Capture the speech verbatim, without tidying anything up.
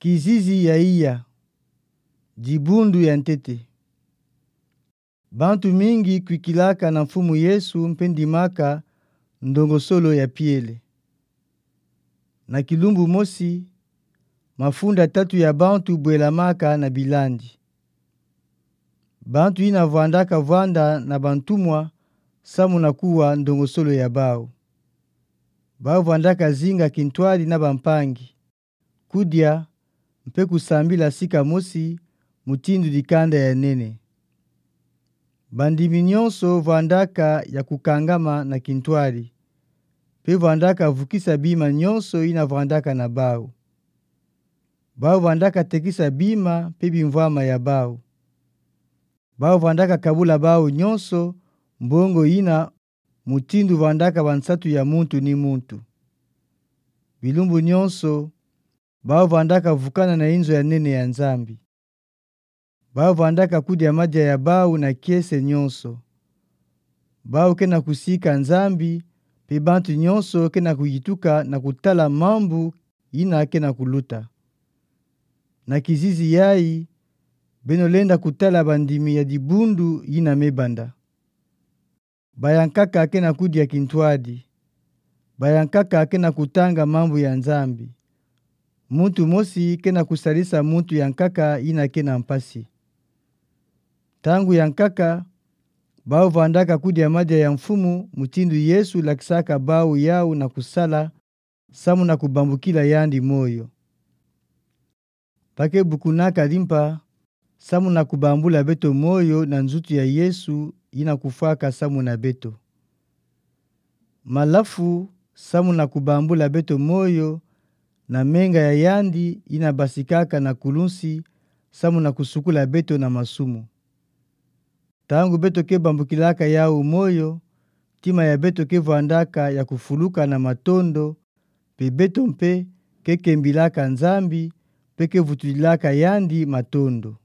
Kizizi ya iya. Dibundu ya ntete. Bantu mingi kwikilaka na Mfumu Yesu mpe ndimaka ndongosolo ya Pierre. Na kilumbu mosi, mafunda tatu ya bantu bwelamaka na bilandi. Bantu ina vwandaka vwanda na bantumwa samu na kuwa ndongosolo ya bau. Bau vwandaka zinga kintwadi na bampangi, kudia, mpe kusambila sika mosi, mutindu dikanda ya nene. Bandimi nyonso vwandaka ya kukangama na kintwadi, mpe vwandaka vukisa bima nyonso ina vwandaka na bau. Bau vwandaka tekisa bima mpe bimvwama ya bau. Bau vwandaka kabula bau nyonso mbongo ina mutindu vwandaka bansatu ya muntu ni muntu. Bilumbu nyonso, bau vwandaka vukana na inzo ya nene ya Nzambi. Bau vwandaka kudia madia ya bau na kiese nyonso. Bau kena kusika Nzambi, mpe bantu nyonso kena kuyituka na kutala mambu ina kena kuluta. Na kizizi yayi, beno lenda kutala bandimi ya dibundu ina me banda. Bayankaka kena kudia kintwadi. Bayankaka kena kutanga mambu ya Nzambi. Muntu mosi kena kusalisa muntu yankaka ina kena mpasi. Ntangu yankaka, bau vwandaka kudia madia ya Mfumu mutindu Yesu lakisaka bau yau na kusala, samu na kubambukila yandi moyo. Bake bukunaka limpa, samu na kubambula beto moyo na nzutu ya Yesu ina kufwaka samu na beto. Malafu, samu na kubambula beto moyo na menga ya yandi ina basikaka na kulunsi, samu na kusukula beto na masumu. Ntangu beto ke bambukilaka yau moyo, ntima ya beto ke vwandaka ya kufuluka na matondo, mpe beto mpe ke kembilaka Nzambi, mpe ke vutulilaka yandi matondo.